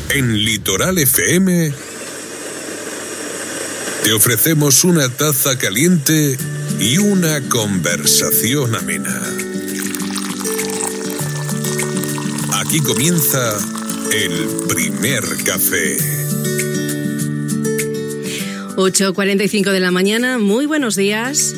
En Litoral FM te ofrecemos una taza caliente y una conversación amena. Aquí comienza el primer café. 8:45 de la mañana, muy buenos días.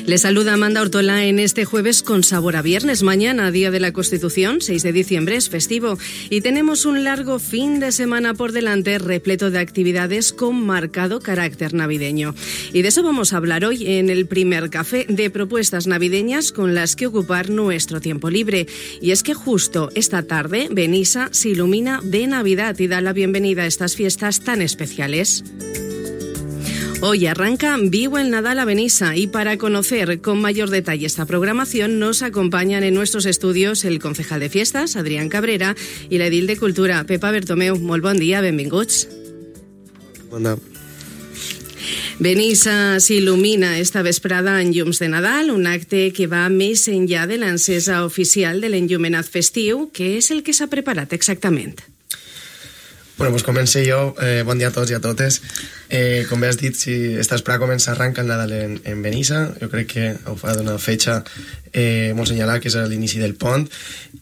Les saluda Amanda Ortola en este jueves con sabor a viernes. Mañana, Día de la Constitución, 6 de diciembre, es festivo. Y tenemos un largo fin de semana por delante, repleto de actividades con marcado carácter navideño. Y de eso vamos a hablar hoy en el primer café, de propuestas navideñas con las que ocupar nuestro tiempo libre. Y es que justo esta tarde, Benissa se ilumina de Navidad y da la bienvenida a estas fiestas tan especiales. Hoy arranca Viu el Nadal a Benissa y para conocer con mayor detalle esta programación nos acompañan en nuestros estudios el concejal de fiestas, Adrián Cabrera, i l'edil de Cultura, Pepa Bertomeu. Molt bon dia, benvinguts. Bon dia. Benissa s'il·lumina esta vesprada en llums de Nadal, un acte que va més enllà de l'encesa oficial de l'enllumenat festiu. Què és el que s'ha preparat exactament? Bueno, pues comencé jo. Bon dia a tots i a totes. Com bé has dit, si esta vesprada arranca el Nadal en Benissa. Jo crec que ho fa d'una fetxa molt senyalada, que és l'inici del pont,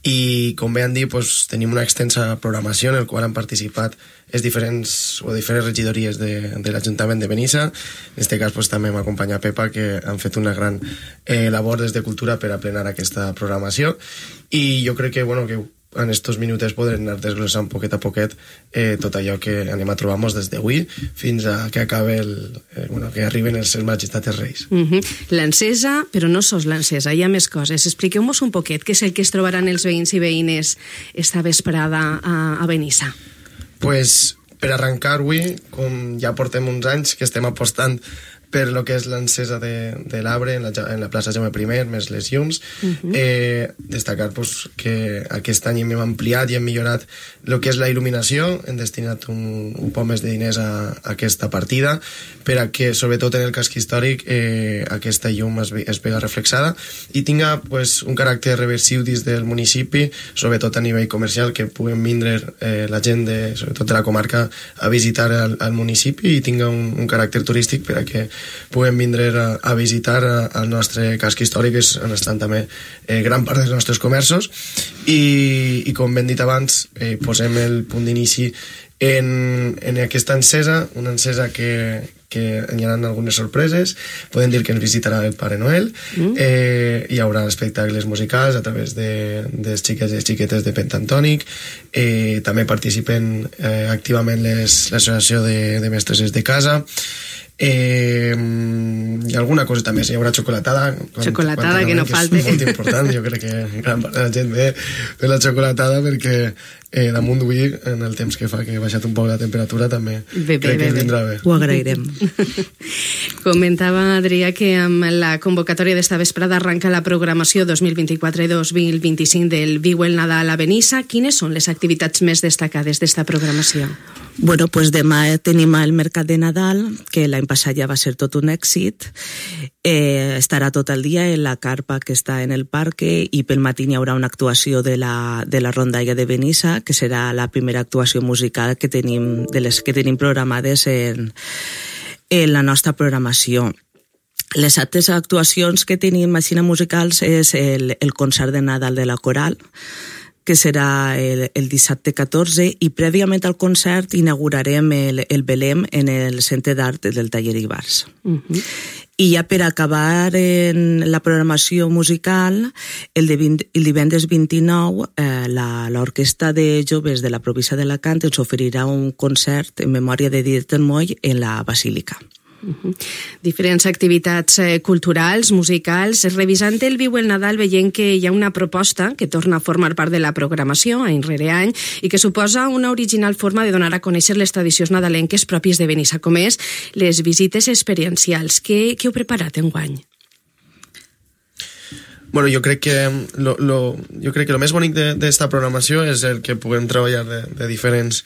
i com bé han dit, pues, tenim una extensa programació en la qual han participat diferents regidories de l'Ajuntament de Benissa. En aquest cas pues, també m'acompanya Pepa, que han fet una gran labor des de Cultura per a plenar aquesta programació, i jo crec que, bueno, que en estos minuts podrem anar desglossant poquet a poquet tot allò que anem a trobar-nos des d'avui fins a que acabe que arriben els Majestats Reis. L'encesa, però no sols l'encesa, hi ha més coses. Expliqueu-nos un poquet què és el que es trobaran els veïns i veïnes esta vesprada a Benissa. Pues, per arrencar avui, com ja portem uns anys que estem apostant per lo que és l'encesa de l'arbre en la plaça Jaume I, més les llums. Destacar pues, que aquest any hem ampliat i hem millorat el que és la il·luminació, hem destinat un poc més de diners a aquesta partida, per a que, sobretot en el casc històric, aquesta llum es vega reflexada i tinga pues, un caràcter reversiu dins del municipi, sobretot a nivell comercial, que puguem vindre la gent, sobretot de la comarca, a visitar el municipi i tinga un caràcter turístic per a que puguem vindre a visitar el nostre casc històric, on estan també gran part dels nostres comerços, i com ben dit abans, posem el punt d'inici en aquesta encesa, una encesa que hi ha algunes sorpreses. Podem dir que ens visitarà el Pare Noel, hi haurà espectacles musicals a través dels xiquets i xiquetes de Pentantònic, també participen activament l'associació de mestres de casa, i alguna coseta més. Hi haurà xocolatada que no falte, és molt important. Jo crec que gran part de la gent ve per la xocolatada, perquè damunt d'avui, en el temps que fa que ha baixat un poc la temperatura, també crec que vindrà bé. Ho agrairem. Comentava Adrià que amb la convocatòria d'esta vesprada arranca la programació 2024 i 2025 del Viu el Nadal a Benissa. Quines són les activitats més destacades d'esta programació? Bueno, pues demà tenim el Mercat de Nadal, que l'any passat ja va ser tot un èxit. Estarà tot el dia en la carpa que està en el parque, i pel matí hi haurà una actuació de la rondalla de Benissa, que serà la primera actuació musical que tenim, de les que tenim programades en la nostra programació. Les altres actuacions que tenim així musicals és el concert de Nadal de la Coral, que serà el dissabte 14, i prèviament al concert inaugurarem el Belém en el Centre d'Art del Taller Ibars. I ja per acabar en la programació musical, el divendres 29, l'Orquestra de Joves de la província d'Alacant ens oferirà un concert en memòria de Dieter Moll en la Basílica. Diferents activitats culturals, musicals. Revisant el Viu el Nadal veiem que hi ha una proposta que torna a formar part de la programació any rere any i que suposa una original forma de donar a conèixer les tradicions nadalenques pròpies de Benissa, com és les visites experiencials. Què heu preparat enguany? Bueno, jo crec que lo més bonic d'esta programació és el que puguem treballar de diferents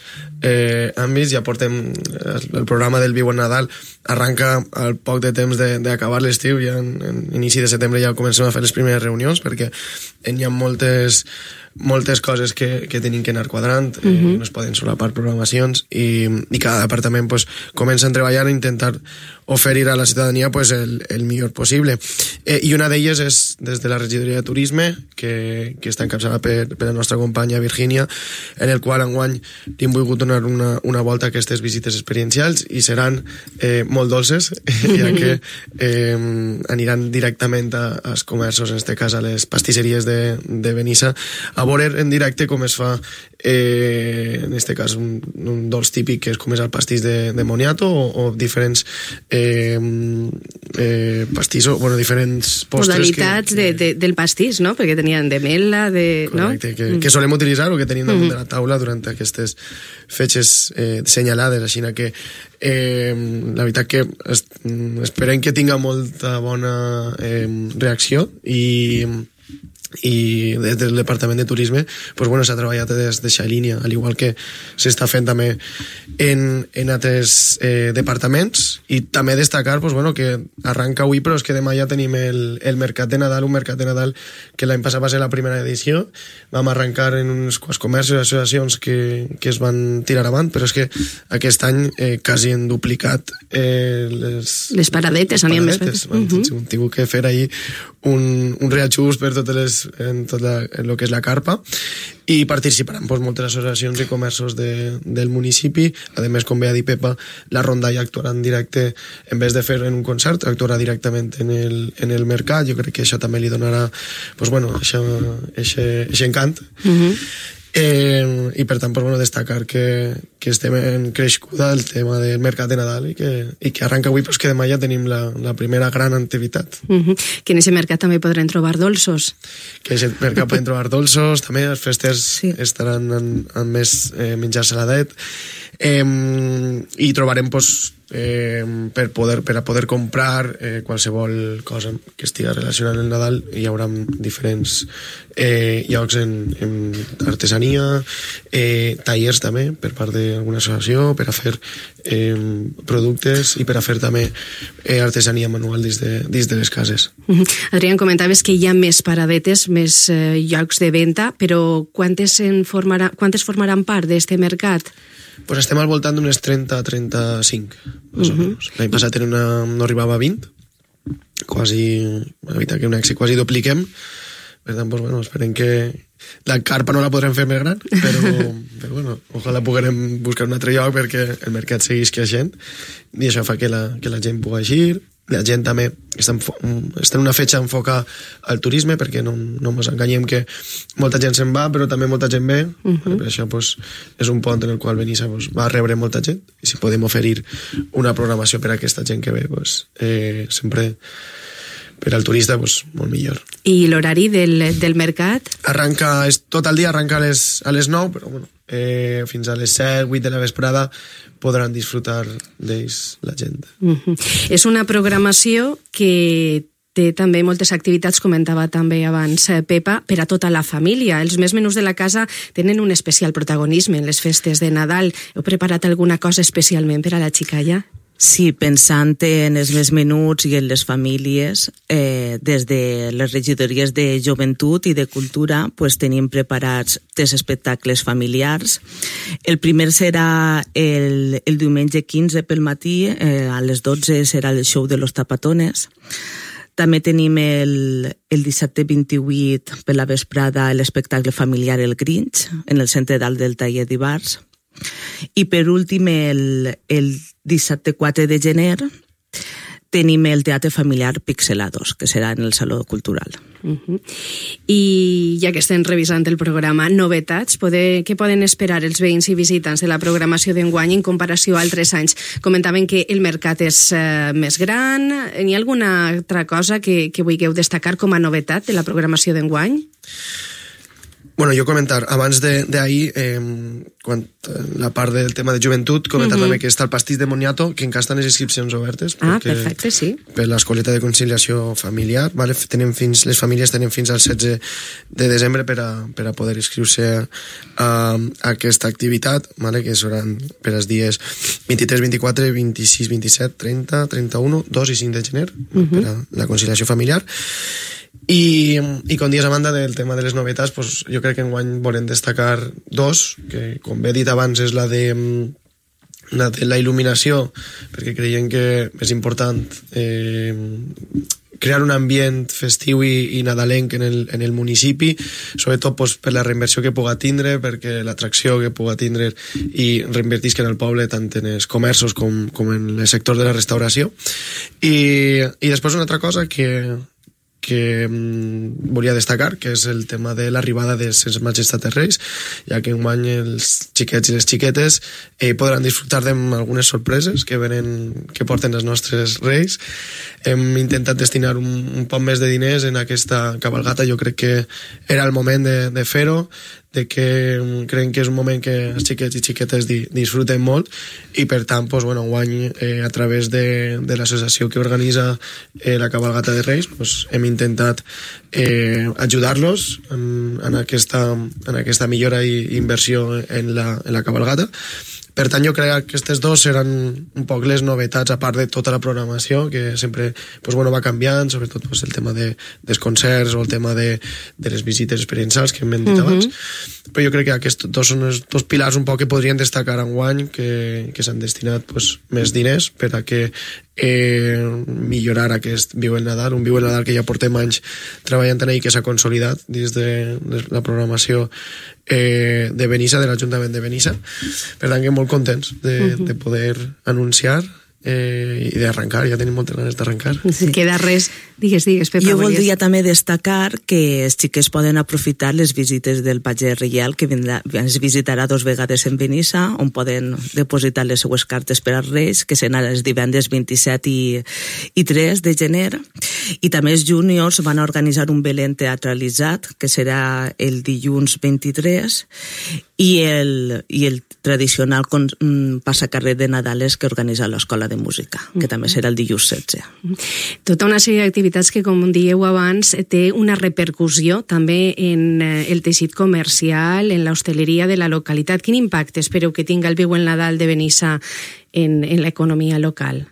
àmbits. Ja portem el programa del Viu en Nadal, arranca al poc de temps d'acabar l'estiu, ja en inici de setembre ja comencem a fer les primeres reunions, perquè hi ha moltes moltes coses que tenim que anar quadrant, no es poden solapar programacions i cada departament pues, comença a treballar i intentar oferir a la ciutadania pues, el millor possible. I una d'elles és des de la regidoria de turisme, que està encapçalada per la nostra companya Virgínia, en el qual enguany hem volgut donar una volta a aquestes visites experiencials i seran molt dolces, ja que aniran directament als comerços, en aquest cas a les pastisseries de Benissa, a veure en directe com es fa en aquest cas un dolç típic que és com és el pastís de moniato o diferents pastissos, bueno, diferents postres modalitats del pastís, no? Perquè tenien de mel·la, correcte, no? que solem utilitzar o que tenim damunt de la taula durant aquestes fetges senyalades, així que la veritat que esperem que tinga molta bona reacció i des del Departament de Turisme pues bueno, s'ha treballat des d'aquesta línia, al igual que s'està fent també en altres departaments, i també destacar pues bueno, que arranca avui, però és que demà ja tenim el Mercat de Nadal, un Mercat de Nadal que l'any passat va ser la primera edició. Vam arrencar en uns quants comerços i associacions que es van tirar avant, però és que aquest any quasi han duplicat les paradetes. Hem tingut que fer ahir un reajust per totes en tot el que és la carpa, i participaran pues, moltes associacions i comerços del municipi. A més, com bé ha dit Pepa, la rondalla actuarà en directe, en vez de fer en un concert, actuarà directament en el mercat. Jo crec que això també li donarà pues, bueno, aquest encant. I per tant pues, bueno, destacar que estem en creixcuda el tema del Mercat de Nadal i que arranca avui, però que demà ja tenim la primera gran activitat. Que en aquest mercat també podrem trobar dolços. Que en aquest mercat podem trobar dolços, també els festers estaran amb més menjar saladet, i trobarem pues, per a poder comprar qualsevol cosa que estigui relacionada amb el Nadal. Hi haurà diferents llocs en artesania, tallers també per part d'alguna associació per a fer productes i per a fer també artesania manual dins de les cases. Adrián, comentaves que hi ha més paradetes, més llocs de venda, però quantes formaran part d'aquest mercat? Pues estem al voltant d'unes 30-35, més o menys. L'any passat no arribava a 20, quasi, la veritat que un èxit, quasi dupliquem. Per tant, pues, bueno, esperem que la carpa no la podrem fer més gran, però bueno, ojalà puguem buscar un altre lloc perquè el mercat seguís creixent i això fa que la gent pugui eixir. La gent també està en una fetge enfocar al turisme, perquè no ens enganyem que molta gent se'n va, però també molta gent ve. Per això pues, és un pont en el qual Benissa pues, va rebre molta gent, i si podem oferir una programació per a aquesta gent que ve, pues, sempre per al turista pues, molt millor. I l'horari del mercat? Arranca, tot el dia arranca a les 9, però bueno, fins a les 7, 8 de la vesprada podran disfrutar d'ells la gent. És una programació que té també moltes activitats, comentava també abans Pepa, per a tota la família. Els més menús de la casa tenen un especial protagonisme en les festes de Nadal. Heu preparat alguna cosa especialment per a la xicalla? Sí, pensant en els més menuts i en les famílies, des de les regidories de Joventut i de Cultura pues, tenim preparats 3 espectacles familiars. El primer serà el diumenge 15 pel matí, a les 12 serà el show de los tapatones. També tenim el dissabte 28 per la vesprada l'espectacle familiar El Grinch, en el centre dalt del taller d'Ibars. I per últim, el dissabte 4 de gener, tenim el teatre familiar Pixelados, que serà en el Saló Cultural. I ja que estem revisant el programa, novetats, què poden esperar els veïns i visitants de la programació d'enguany en comparació a altres anys? Comentaven que el mercat és més gran. Hi ha alguna altra cosa que vulgueu destacar com a novetat de la programació d'enguany? Bueno, jo comentar, abans d'ahir, quan la part del tema de joventut, comentar també que està el pastís de moniato, que encara estan les inscripcions obertes. Perfecte, sí. Per l'escoleta de conciliació familiar, vale? Les famílies tenen fins al 16 de desembre per a poder inscriure-se a aquesta activitat, vale? Que seran per als dies 23, 24, 26, 27, 30, 31, 2 i 5 de gener, per a la conciliació familiar. I com dius, a banda del tema de les novetats, pues, jo crec que enguany volem destacar dos, que com bé he dit abans és la de la il·luminació, perquè creiem que és important crear un ambient festiu i nadalenc en el municipi, sobretot pues, per la reinversió que puga tindre, perquè l'atracció que puga tindre i reinvertisca en el poble, tant en els comerços com en el sector de la restauració. I després una altra cosa que volia destacar, que és el tema de l'arribada de Ses Majestats Reis, ja que enguany els xiquets i les xiquetes podran disfrutar d'algunes sorpreses que porten els nostres reis. Hem intentat destinar un poc més de diners en aquesta cabalgata, jo crec que era el moment de fer-ho, de que creiem que és un moment que els xiquets i xiquetes disfruten molt i per tant, pues, bueno, enguany a través de l'associació que organitza la cabalgata de Reis pues, hem intentat ajudar-los en aquesta millora i inversió en la cabalgata. Per tant, jo crec que aquestes dos seran un poc les novetats, a part de tota la programació, que sempre pues, bueno, va canviant, sobretot pues, el tema dels concerts o el tema de les visites experiencials que hem dit abans. Però jo crec que aquests dos són els dos pilars un poc que podrien destacar enguany, que s'han destinat pues, més diners per a que millorar aquest Viu el Nadal, un Viu el Nadal que ja portem anys treballant en ell, que s'ha consolidat dins de la programació de Benissa, de l'Ajuntament de Benissa. Per tant, que molt contents de poder anunciar i d'arrencar, ja tenim moltes ganes d'arrencar. Sí. Queda res, digues, Pepa. Jo voldria també destacar que els xiquets poden aprofitar les visites del pagès reial, que ens visitarà 2 vegades en Benissa, on poden depositar les seues cartes per als Reis, que seran els divendres 27 i 3 de gener. I també els júniors van a organitzar un Belén teatralitzat, que serà el dilluns 23, i el tradicional passacarrer de Nadales que organitza l'Escola de Música, que també serà el dilluns 16. Tota una sèrie d'activitats que, com dieu abans, té una repercussió també en el teixit comercial, en l'hostaleria de la localitat. Quin impacte espereu que tinga el Viu el Nadal de Benissa en l'economia local?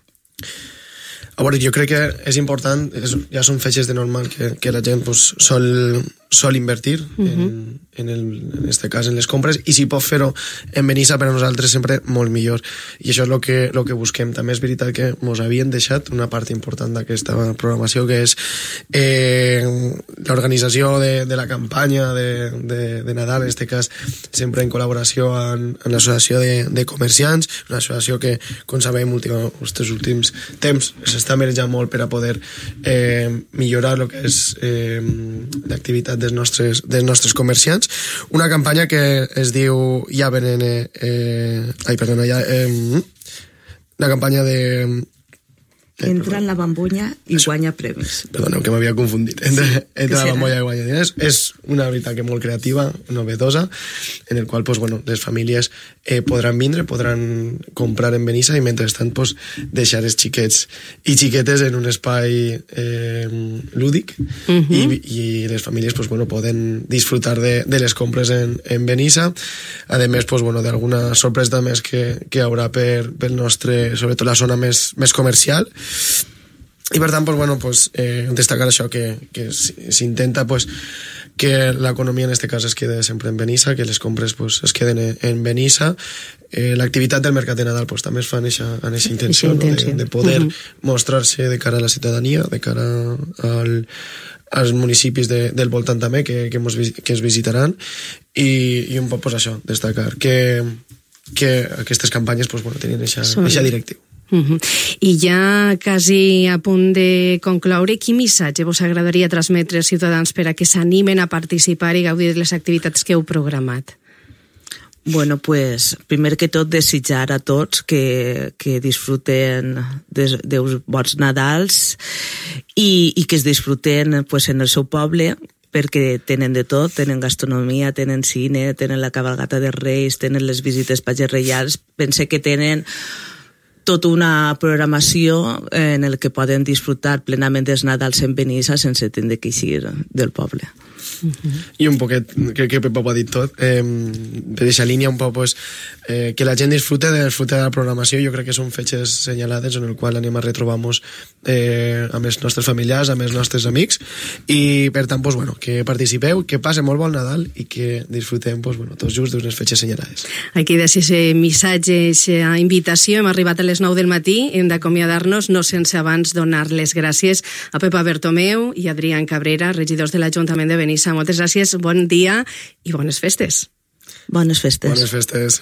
A veure, jo crec que és important, ja són fetges de normal que la gent pues, sol invertir en este cas en les compres, i si pot fer-ho en Benissa per a nosaltres sempre molt millor, i això és el que busquem. També és veritat que ens havien deixat una part important d'aquesta programació, que és l'organització de la campanya de Nadal, en aquest cas sempre en col·laboració amb l'associació de comerciants, una associació que, com sabem, els últims temps s'està merejant molt per a poder millorar el que és l'activitat dels nostres comerciants. Una campanya que es diu Ja venen... la campanya de... Entra en la bambolla i guanya premis. Perdoneu, que m'havia confundit. Entra la bambolla i guanya diners. És una veritat que molt creativa, novedosa, en el qual pues, bueno, les famílies podran vindre, podran comprar en Benissa i mentrestant pues, deixar els xiquets i xiquetes en un espai lúdic i les famílies pues, bueno, poden disfrutar de les compres en Benissa. A més, pues, bueno, d'alguna sorpresa més que hi haurà pel nostre, sobretot la zona més comercial. I per tant, pues, bueno, pues, destacar això, que s'intenta pues, que l'economia en aquest cas es quede sempre en Benissa, que les compres pues, es queden en Benissa. L'activitat del Mercat de Nadal pues, també es fa en aquesta intenció, no? de poder mostrar-se de cara a la ciutadania, de cara als municipis del voltant també que ens visitaran, i un poc pues, això, destacar que aquestes campanyes pues, bueno, tenien aquesta directiu. I ja quasi a punt de concloure, quin missatge vos agradaria transmetre als ciutadans per a que s'animen a participar i gaudir de les activitats que heu programat? Bueno, pues, primer que tot, desitjar a tots que disfruten dels bons Nadals i que es disfruten pues, en el seu poble, perquè tenen de tot, tenen gastronomia, tenen cine, tenen la cabalgata de Reis, tenen les visites pagès reials. Pense que tenen tota una programació en el que poden disfrutar plenament dels Nadals en Benissa sense tindre que eixir del poble. I un poquet, crec que Pepa ho ha dit tot, per aquesta línia un poc pues, que la gent disfrute de la programació. Jo crec que són fetges senyalades en el qual anem a retrobar-nos amb els nostres familiars, amb els nostres amics, i per tant pues, bueno, que participeu, que passe molt bon Nadal i que disfrutem pues, bueno, tots just d'unes fetges senyalades. Aquí deixa aquest missatge, aquesta invitació. Hem arribat a les 9 del matí, hem d'acomiadar-nos, no sense abans donar les gràcies a Pepa Bertomeu i Adrián Cabrera, regidors de l'Ajuntament de Benissa. Moltes gràcies, bon dia i bones festes. Bones festes. Bones festes.